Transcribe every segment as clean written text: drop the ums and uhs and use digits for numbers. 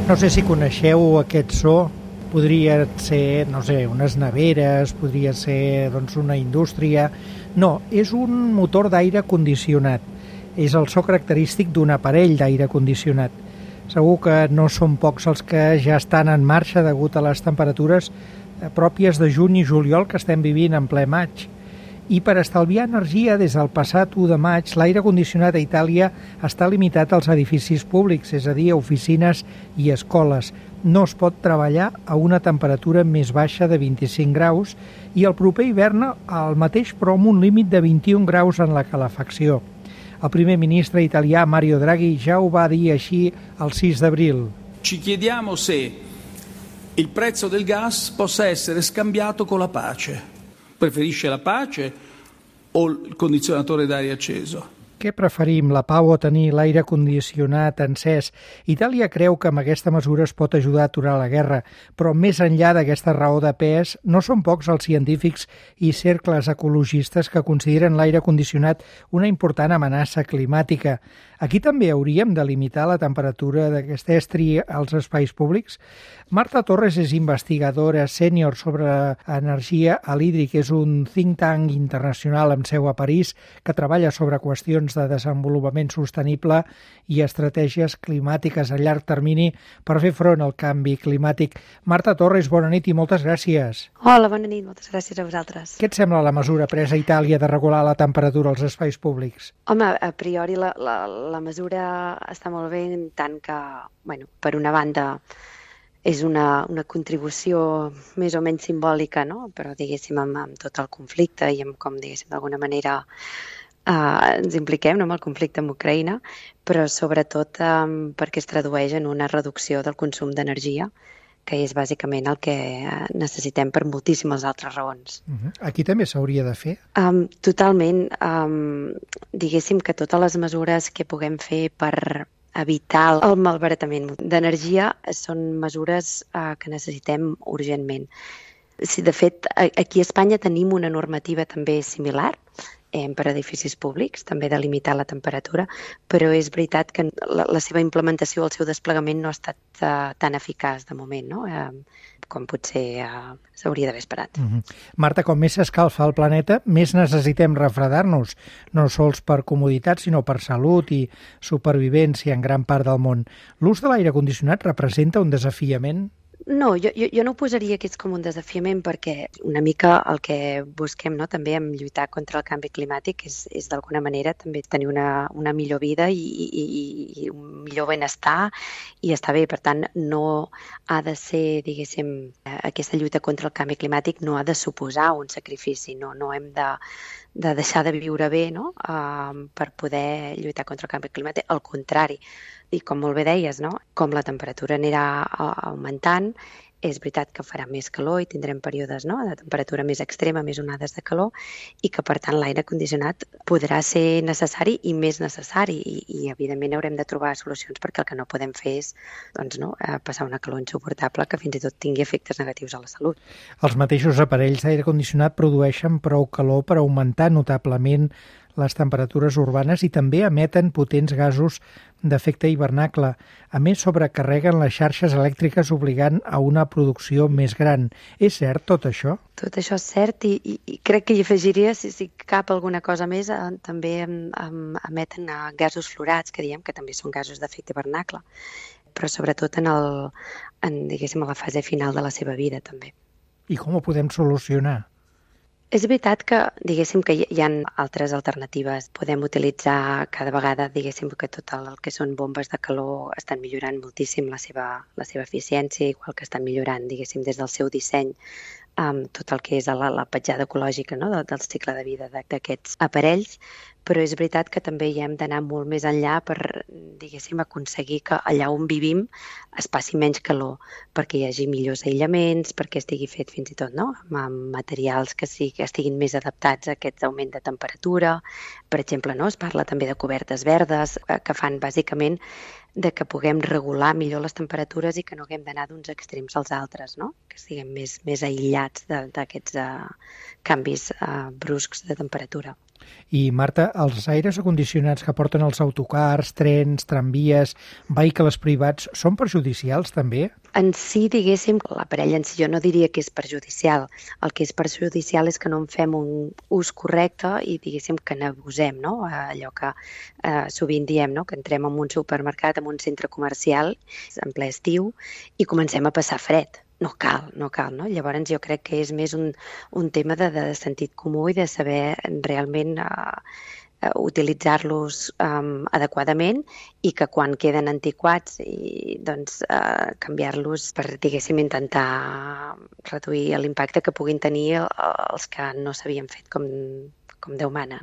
No sé si coneixeu aquest so, podria ser, no sé, unes neveres, podria ser una indústria. No, és un motor d'aire condicionat. És el so característic d'un aparell d'aire condicionat. Segur que no són pocs els que ja estan en marxa degut a les temperatures pròpies de juny i juliol que estem vivint en ple maig. I per estalviar energia, des del passat 1 de maig, l'aire condicionat a Itàlia està limitat als edificis públics, és a dir, a oficines i escoles. No es pot treballar a una temperatura més baixa de 25 graus i el proper hivern el mateix, però amb un límit de 21 graus en la calefacció. El primer ministre italià Mario Draghi ja ho va dir així el 6 d'abril. Ci chiediamo se il prezzo del gas possa essere scambiato con la pace. Preferisce la pace o il condizionatore d'aria acceso? Què preferim, la pau o tenir l'aire condicionat encès? Itàlia creu que amb aquesta mesura es pot ajudar a aturar la guerra, però més enllà d'aquesta raó de pes, no són pocs els científics i cercles ecologistes que consideren l'aire condicionat una important amenaça climàtica. Aquí també hauríem de limitar la temperatura d'aquest estri als espais públics? Marta Torres és investigadora sènior sobre energia a l'Hídric. És un think tank internacional amb seu a París que treballa sobre qüestions de desenvolupament sostenible i estratègies climàtiques a llarg termini per fer front al canvi climàtic. Marta Torres, bona nit i moltes gràcies. Hola, bona nit, moltes gràcies a vosaltres. Què et sembla la mesura presa a Itàlia de regular la temperatura als espais públics? Home, a priori la mesura està molt bé en tant que, per una banda, és una contribució més o menys simbòlica, no? Però, diguéssim, amb tot el conflicte i amb com, diguéssim, d'alguna manera ens impliquem amb el conflicte amb Ucraïna, però sobretot perquè es tradueix en una reducció del consum d'energia, que és bàsicament el que necessitem per moltíssimes altres raons. Aquí també s'hauria de fer? Totalment. Diguéssim que totes les mesures que puguem fer per evitar el malbaratament d'energia són mesures que necessitem urgentment. De fet, aquí a Espanya tenim una normativa també similar per a edificis públics, també de limitar la temperatura, però és veritat que la seva implementació, el seu desplegament no ha estat tan eficaç de moment, no? Com potser s'hauria d'haver esperat. Marta, com més s'escalfa el planeta, més necessitem refredar-nos, no sols per comoditat, sinó per salut i supervivència en gran part del món. L'ús de l'aire condicionat representa un desafiament? No, jo no ho posaria que és com un desafiament, perquè una mica el que busquem, no, també en lluitar contra el canvi climàtic és d'alguna manera també tenir una millor vida i un millor benestar i estar bé. Per tant, no ha de ser, diguéssim, aquesta lluita contra el canvi climàtic no ha de suposar un sacrifici, no hem de deixar de viure bé, no? Per poder lluitar contra el canvi climàtic. Al contrari, i com molt bé deies, no? Com la temperatura anirà augmentant, és veritat que farà més calor i tindrem períodes, no, de temperatura més extrema, més onades de calor, i que, per tant, l'aire condicionat podrà ser necessari i més necessari i evidentment, haurem de trobar solucions perquè el que no podem fer és passar una calor insuportable que fins i tot tingui efectes negatius a la salut. Els mateixos aparells d'aire condicionat produeixen prou calor per augmentar notablement les temperatures urbanes i també emeten potents gasos d'efecte hivernacle. A més, sobrecarreguen les xarxes elèctriques obligant a una producció més gran. És cert tot això? Tot això és cert i crec que hi afegiria, si cap alguna cosa més, també emeten gasos fluorats, que diem que també són gasos d'efecte hivernacle, però sobretot diguéssim, a la fase final de la seva vida també. I com ho podem solucionar? És veritat que, diguéssim, que hi ha altres alternatives. Podem utilitzar cada vegada, diguéssim, que tot el que són bombes de calor estan millorant moltíssim la seva eficiència, igual que estan millorant, diguéssim, des del seu disseny, tot el que és la petjada ecològica, no? del cicle de vida d'aquests aparells, però és veritat que també hi hem d'anar molt més enllà per, diguéssim, aconseguir que allà on vivim es passi menys calor, perquè hi hagi millors aïllaments, perquè estigui fet fins i tot, no? amb materials que estiguin més adaptats a aquest augment de temperatura. Per exemple, no? Es parla també de cobertes verdes que fan bàsicament de que puguem regular millor les temperatures i que no haguem d'anar d'uns extrems als altres, no? Que estiguem més aïllats d'aquests canvis bruscs de temperatura. I, Marta, els aires acondicionats que porten els autocars, trens, tramvies, vehicles privats, són perjudicials també? En si, diguéssim, l'aparell en si jo no diria que és perjudicial. El que és perjudicial és que no en fem un ús correcte i, diguéssim, que n'abusem, no? Allò que sovint diem, no? Que entrem en un supermercat, en un centre comercial, en ple estiu, i comencem a passar fred. No cal, no? Llavors jo crec que és més un tema de sentit comú i de saber realment utilitzar-los adequadament i que quan queden antiquats i canviar-los per, diguéssim, intentar reduir l'impacte que puguin tenir els que no s'havien fet com Déu mana.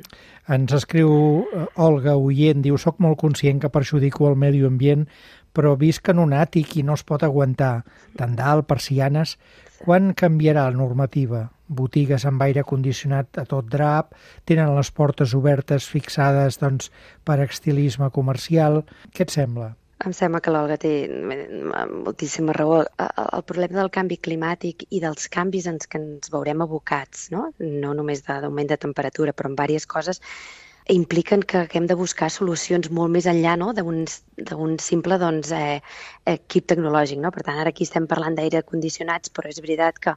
Ens escriu Olga Oient, diu: soc molt conscient que perjudico el medi ambient, però visc en un àtic i no es pot aguantar. Tendal, persianes... Quan canviarà la normativa? Botigues amb aire condicionat a tot drap, tenen les portes obertes fixades per estilisme comercial. Què et sembla? Em sembla que l'Olga té moltíssima raó. El problema del canvi climàtic i dels canvis en què ens veurem abocats, no només d'augment de temperatura, però en diverses coses, impliquen que hem de buscar solucions molt més enllà, no? d'un simple equip tecnològic. No? Per tant, ara aquí estem parlant d'aire condicionats, però és veritat que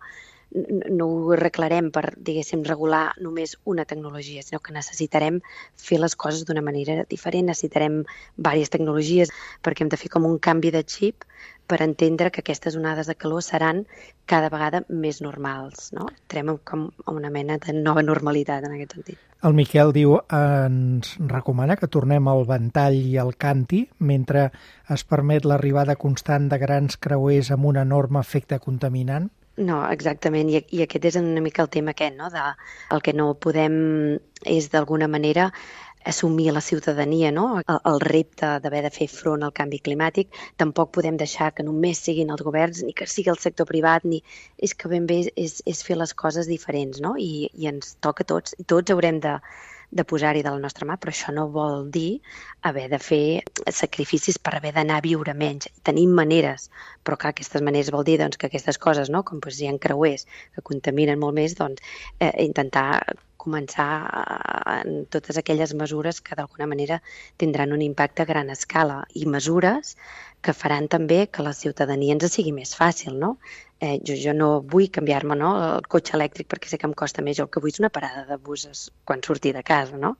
no ho arreglarem per, diguéssim, regular només una tecnologia, sinó que necessitarem fer les coses d'una manera diferent, necessitarem diverses tecnologies perquè hem de fer com un canvi de xip per entendre que aquestes onades de calor seran cada vegada més normals. No? Entrem com a una mena de nova normalitat en aquest sentit. El Miquel diu, ens recomana que tornem al ventall i al canti mentre es permet l'arribada constant de grans creuers amb un enorme efecte contaminant? No, exactament, i aquest és una mica el tema aquest, no? El que no podem és d'alguna manera assumir la ciutadania, no? El repte d'haver de fer front al canvi climàtic. Tampoc podem deixar que només siguin els governs, ni que sigui el sector privat, ni és que ben bé és fer les coses diferents, no? I ens toca a tots, i tots haurem de posar-hi de la nostra mà, però això no vol dir haver de fer sacrificis per haver d'anar a viure menys. Tenim maneres, però clar, aquestes maneres vol dir que aquestes coses, no? Com hi ha creuers que contaminen molt més, intentar començar en totes aquelles mesures que d'alguna manera tindran un impacte a gran escala i mesures que faran també que la ciutadania ens sigui més fàcil, no? Jo no vull canviar-me, no, el cotxe elèctric perquè sé que em costa més. Jo el que vull és una parada de buses quan surti de casa, no?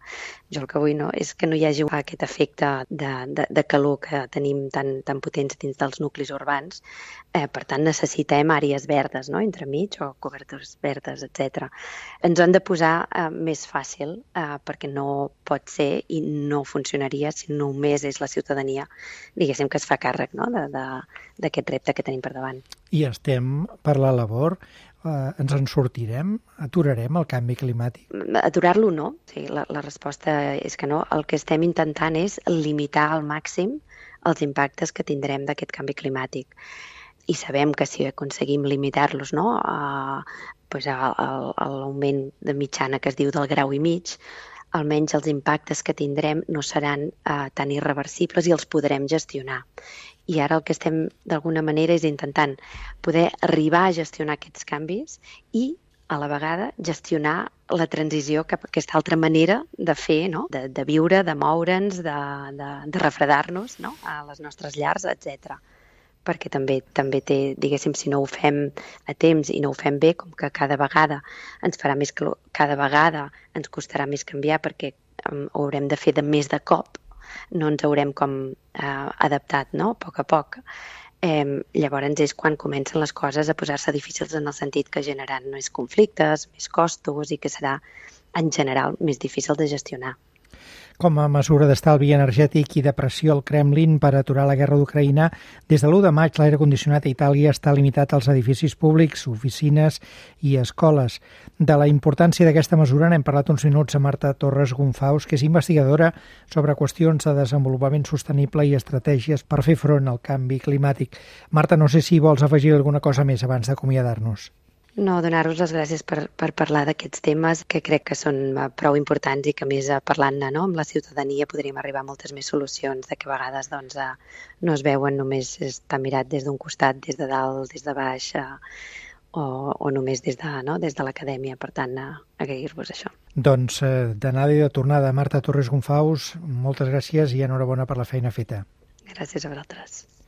Jo el que vull és que no hi hagi aquest efecte de calor que tenim tan potents dins dels nuclis urbans. Per tant, necessitem àrees verdes, no?, entremig, o cobertures verdes, etc. Ens han de posar més fàcil perquè no pot ser i no funcionaria si només és la ciutadania, diguéssim, que es fa càrrec, no?, d'aquest repte que tenim per davant. I estem per la labor. Ens en sortirem? Aturarem el canvi climàtic? Aturar-lo no. Sí, la resposta és que no. El que estem intentant és limitar al màxim els impactes que tindrem d'aquest canvi climàtic. I sabem que si aconseguim limitar-los, no, l'augment de mitjana que es diu del 1,5 graus, almenys els impactes que tindrem no seran tan irreversibles i els podrem gestionar. I ara el que estem d'alguna manera és intentant poder arribar a gestionar aquests canvis i a la vegada gestionar la transició cap a aquesta altra manera de fer, no? De viure, de moure'ns, de refredar-nos, no?, a les nostres llars, etc. Perquè també té, diguéssim, si no ho fem a temps i no ho fem bé, com que cada vegada ens farà més calor, cada vegada ens costarà més canviar perquè ho haurem de fer més de cop, no ens haurem adaptat, no?, a poc. Llavors és quan comencen les coses a posar-se difícils en el sentit que generaran més conflictes, més costos i que serà, en general, més difícil de gestionar. Com a mesura d'estalvi energètic i de pressió al Kremlin per aturar la guerra d'Ucraïna, des de l'1 de maig l'aire condicionat a Itàlia està limitat als edificis públics, oficines i escoles. De la importància d'aquesta mesura n'hem parlat uns minuts a Marta Torres Gonfaus, que és investigadora sobre qüestions de desenvolupament sostenible i estratègies per fer front al canvi climàtic. Marta, no sé si vols afegir alguna cosa més abans d'acomiadar-nos. No, donar-vos les gràcies per parlar d'aquests temes que crec que són prou importants i que més parlant-ne, no?, amb la ciutadania podríem arribar a moltes més solucions, de que a vegades no es veuen, només està mirat des d'un costat, des de dalt, des de baix, o només des de l'acadèmia. Per tant, agrair-vos això. Doncs d'anada i de tornada, Marta Torres Gonfaus, moltes gràcies i enhorabona per la feina feta. Gràcies a vosaltres.